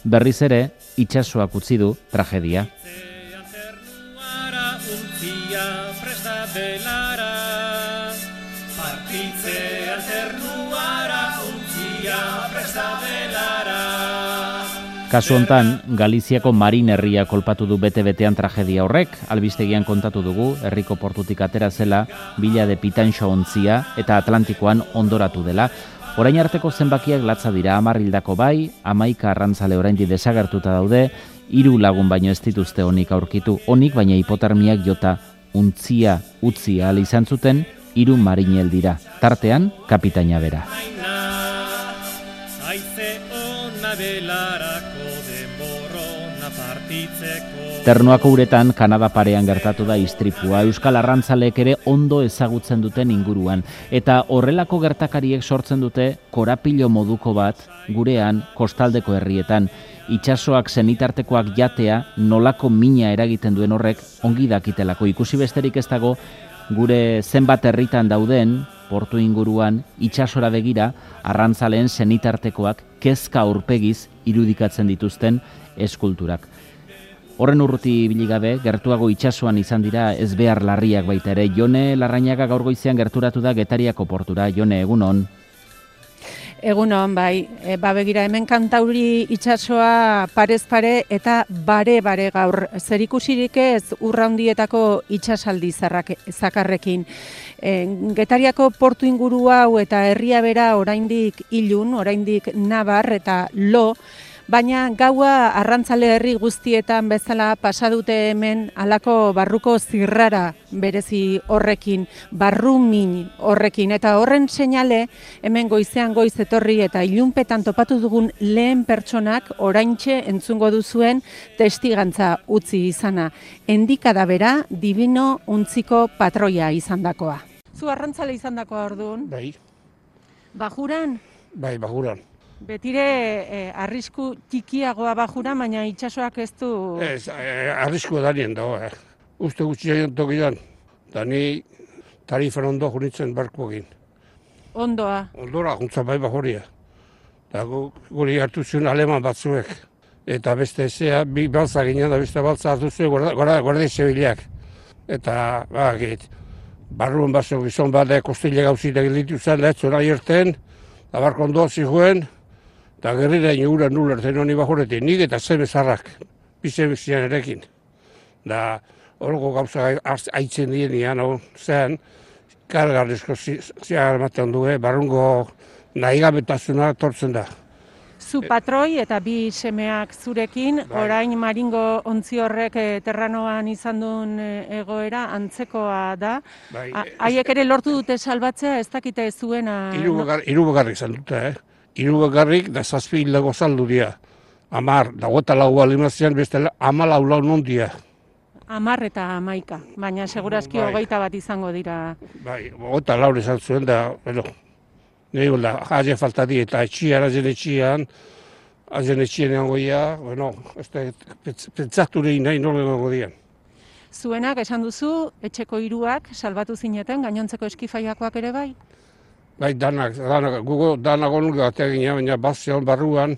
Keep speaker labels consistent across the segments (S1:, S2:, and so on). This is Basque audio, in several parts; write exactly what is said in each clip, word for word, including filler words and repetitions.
S1: Berriz ere, itsasoak utzi du tragedia. Kasu hontan, Galiziako Marin herria kolpatu du bete-betean tragedia horrek, albistegian kontatu dugu, herriko portutik atera zela, bila de pitanxo ontzia eta Atlantikoan ondoratu dela. Orain arteko zenbakiak latza dira, hamar hildako bai, hamaika arrantzale oraindik desagertuta daude, hiru lagun baino ez dituzte onik aurkitu, onik baina hipotermiak jota untzia utzi ahal izan zuten, hiru marinel dira, tartean kapitaina bera. Ternuako uretan Kanada parean gertatu da istripua, euskal arrantzaleek ere ondo ezagutzen duten inguruan, eta horrelako gertakariek sortzen dute korapilo moduko bat gurean kostaldeko herrietan. Itsasoak senitartekoak jatea nolako mina eragiten duen horrek ongi dakitelako. Ikusi besterik ez dago gure zenbat herritan dauden portu inguruan itsasora begira arrantzaleen senitartekoak kezka aurpegiz irudikatzen dituzten eskulturak. Horren urruti biligabe, gertuago itsasoan izan dira ezbehar larriak baita ere. Jone Larrañaga gaur goizean gerturatu da Getariako portura. Jone, egunon.
S2: Egunon, bai. E, ba begira, hemen Kantauri itsasoa parez pare eta bare-bare gaur. Zerikusirik ez urraundietako itsasaldi zakarrekin. E, Getariako portu inguru hau eta herria bera oraindik ilun, oraindik nabar eta lo, baina gaua arrantzale herri guztietan bezala pasadute hemen halako barruko zirrara berezi horrekin, barru min horrekin. Eta horren seinale hemen goizean goiz etorri eta ilunpetan topatu dugun lehen pertsonak oraintxe entzungo duzuen testigantza utzi izana. Endikada bera Divino untziko patroia izandakoa. Zu arrantzale izandakoa orduan?
S3: Bai.
S2: Bajuran?
S3: Bai, bajuran.
S2: Betire eh, arrisku txikiagoa bajura, baina itsasoak ez du...
S3: Ez, eh, arrisku danien dago, eh. Uste gutxi egin tokidan, eta ni tarifan ondo junitzen barkuagin.
S2: Ondoa?
S3: Ondora, juntza bai bajoria. Eta gu, guri hartu zuen aleman batzuek. Eta beste ezea, bi baltza ginen, da beste baltza hartu zuen guardia zibilak. Eta, ba, git, barruan bazo gizon bat, kostile gauzit egin ditu zen, lehetzen nahi erten, eta barko ondoa zihuen, eta gerrira inugura nulertzen honi bajoretik, nik eta zeme zarrak, bize bizian erekin. Da, horreko gauza haitzen dienean, zean, kargarrizko ziagar ematen du, barrungo nahigabetasuna tortzen da.
S2: Zu patroi eta bi semeak zurekin, bai. Orain Maringo ontzi horrek eh, terranoan izan duen eh, egoera antzekoa da. Bai, haiek ere lortu dute salbatzea, ez dakite zuena...
S3: Hiru bakarrik izan dute, eh? Hiru bakarrik da zazpi hildago saldu dira. Amar, dagoeta lau alimazian, beste amalau lau non dira.
S2: Amar eta hamaika, baina segurazki bai. Hogeita bat izango dira.
S3: Bai, hogeita laur izan zuen da, bueno, nahi da, haze falta di eta etxian, hazen etxian, hazen etxian egon goia, bueno, pentsatu lehin nahi nola egon dian.
S2: Zuenak, esan duzu, etxeko hiruak salbatu zineten, gainontzeko eskifaiakoak ere bai?
S3: Bai, danak, danak, gugo danak onulga bateak gina, baina bazion barruan,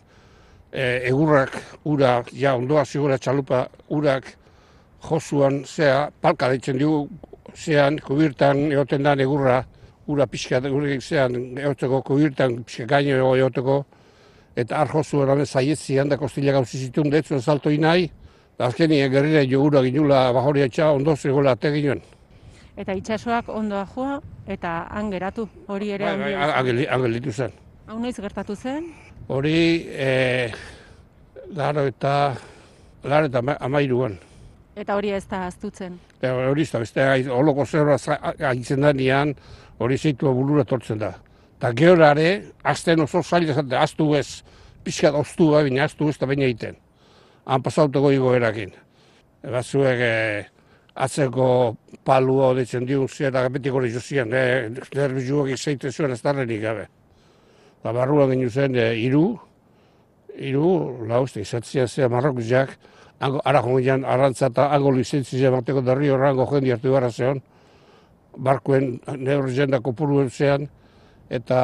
S3: e, egurrak, ura, ja, ondoa zigura txalupa, urak, josuan, zea, palka deitzen dugu, zean, kubirtan egoten da egurra, ura pixka gurek zean, egoteko kubirtan, pixka gaino egoteko, eta ar josuan hamen zaietzian, da kostila gauzi zituen, detzuen salto inai, da azkenien gerrira jo ura ginula bajoria etxa, ondo zegoela ate ginoen.
S2: Eta itsasoak ondoa joa, eta han geratu, hori ere
S3: bai, bai, angel ditu zen.
S2: Hau noiz gertatu zen?
S3: Hori, e, laro eta, laro eta amairuan.
S2: Eta hori ez da aztutzen?
S3: E, hori ez da, beste, holoko zerra haitzen da nian, hori zeitua bulura tortzen da. Eta georare, azten oso zaila zaten, aztu ez, pixkat oztu da, baina aztu ez da baina egiten. Han pasauteko igoerakin. Batzuek, e, atzeko palua hoditzen diun ziren, eta betik hori jozian, e, nervizuak izaiten zuen ez darrenik gabe. Eta barruan ginen zen, e, iru, iru, lauzte, izatzen zea marrokuzak, ara jongian arrantza eta ango lizentzia bateko darri horrango jendi hartu gara zeon, barkuen neurri jendako puruen zean, eta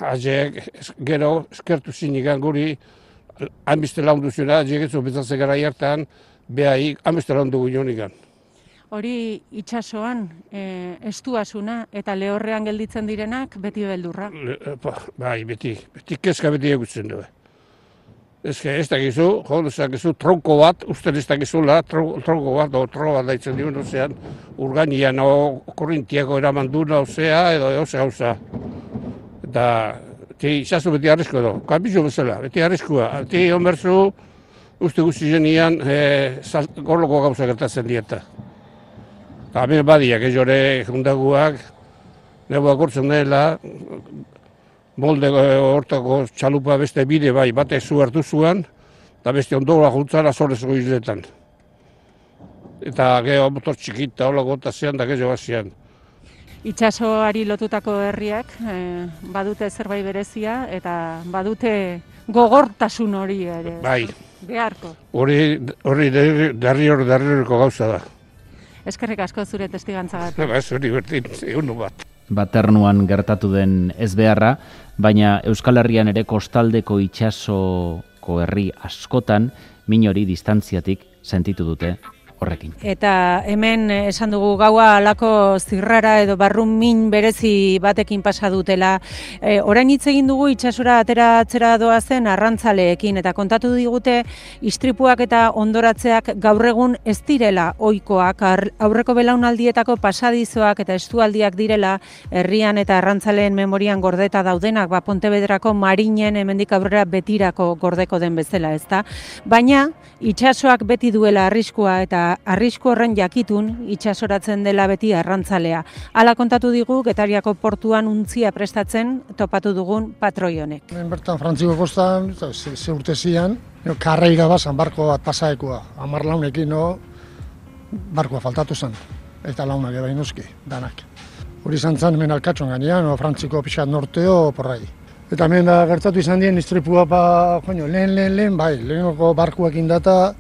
S3: azeek gero eskertu zinik guri Hainbeste laundu zuena, jegetzu bezatzen gara hartan, behai, hainbeste laundu guionikan.
S2: Hori itsasoan e, estuasuna eta lehorrean gelditzen direnak beti beldurra.
S3: Le, ba, bai, beti, beti kezka beti egutzen du. Ez ez dakizu, jo, ez dakizu, tronko bat, usten ez dakizula, tronko bat, o tronko bat daitzen diuen, ozean, urganian, o korrintiako eraman duna, osea, edo, ose gauza. Eta, ti, itxasu beti arrisko edo, kanbizu bezala, beti arriskua. Ti, onberzu, uste guzti zenian, e, gorloko gauza gertatzen dieta. Eta, hemen badiak, ez jore, jundaguak, nebuak urtzen dela, molde hortako txalupa beste bide bai, batek zu hartu zuan, eta beste ondoa juntzara zorezko izletan. Eta geho motor txikita, hola gota zean, da geho bazian.
S2: Itsasoari lotutako herriak e, badute zerbait berezia eta badute gogortasun hori ere.
S3: Bai.
S2: Beharko.
S3: Hori, hori darri hori darrireko gauza da.
S2: Eskerrik asko zure testigantzagatik.
S3: Ba, ez hori bertin, egun bat.
S1: Baternuan gertatu den ezbeharra, baina Euskal Herrian ere kostaldeko itsasoko herri askotan min hori distantziatik sentitu dute horrekin.
S2: Eta hemen esan dugu gaua alako zirrara edo barrun min berezi batekin pasa dutela. E, orain hitz egin dugu itsasora ateratzera doazen arrantzaleekin eta kontatu digute istripuak eta ondoratzeak gaur egun ez direla ohikoak, aurreko belaunaldietako pasadizoak eta estualdiak direla herrian eta arrantzaleen memorian gordeta daudenak, ba Pontevedrako marinen hemendik aurrera betirako gordeko den bezala, ezta? Baina itsasoak beti duela arriskua eta arrisku horren jakitun itsasoratzen dela beti arrantzalea. Hala kontatu digu Getariako portuan untzia prestatzen topatu dugun patroi honek.
S4: Hemen bertan Frantziko kostan, ze, ze urte zian, no, karreira bazan barko bat pasaekoa. Hamar launekin no, barkoa faltatu zen, eta launak ebain uzki, danak. Hori izan zen hemen alkatxon gainean, no, Frantziko pixat norteo porrai. Eta hemen da gertatu izan dien istripua pa, joño, lehen, lehen, lehen, bai, lehenoko barkuak indata,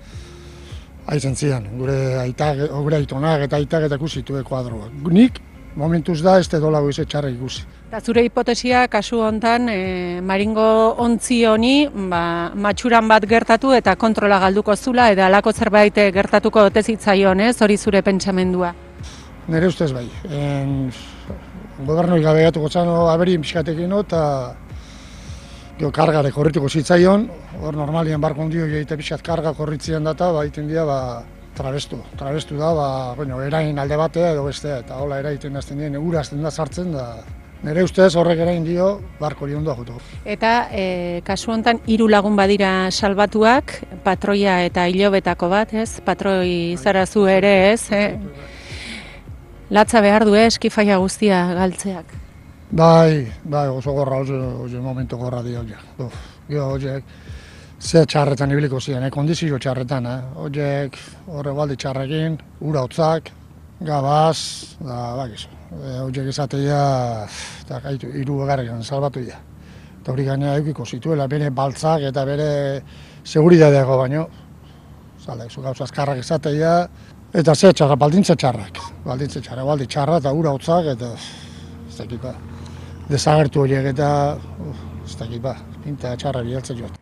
S4: haizen zian, gure aitak, gure aitonak eta aitak eta ikusitu kuadroak. Nik, momentuz da, ez dolago izan txarra ikusi.
S2: Eta zure hipotesia, kasu hontan, e, maringo ontzi honi, ba, matxuran bat gertatu eta kontrola galduko zula, eta halako zerbait gertatuko otezitzaion, ez, hori zure pentsamendua?
S4: Nere ustez bai. En, gobernoi gabe gatuko txano aberin pixkatekin, eta Gio kargare korrituko zitzaion, hor normalien barko ondio egite pixat karga korritzien data, ba, iten dira, ba, trabestu. Trabestu da, ba, bueno, erain alde batea edo bestea, eta hola eraiten azten dien, ura azten da sartzen, da, nire ustez horrek erain dio, barko hori ondoa jutu.
S2: Eta e, kasu honetan hiru lagun badira salbatuak, patroia eta hilobetako bat, ez? Patroi zara zu ere, ez? Eh? Latza behar du, eh, eskifaia guztia galtzeak.
S4: Bai, bai, oso gorra, oso, oso momentu gorra di horiek. Gio horiek, ze txarretan ibiliko ziren, eh? Kondizio txarretan, eh? Horiek, horre baldi txarrekin, ura hotzak, gabaz, da, bakizu. Horiek izatea, eta gaitu, hiru egarrean salbatu dira. Eta hori gainera eukiko zituela, bere baltzak eta bere seguridadeako baino. Zale, zu gauza azkarrak izatea, eta ze txarra, baldintze txarrak. Baldintze txarrak, baldi txarra eta ura hotzak, eta ez dakit ba. Desagertu horiek eta, ez dakit ba, pinta txarra bihaltzen joat.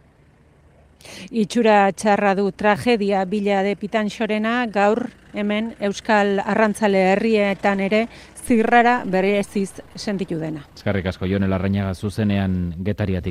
S2: Itxura txarra du tragedia bila de Pitanxorena gaur hemen Euskal Arrantzale herrietan ere zirrara bereziz sentitu dena.
S1: Eskerrik asko, Jon Larrañaga zuzenean Getariatik.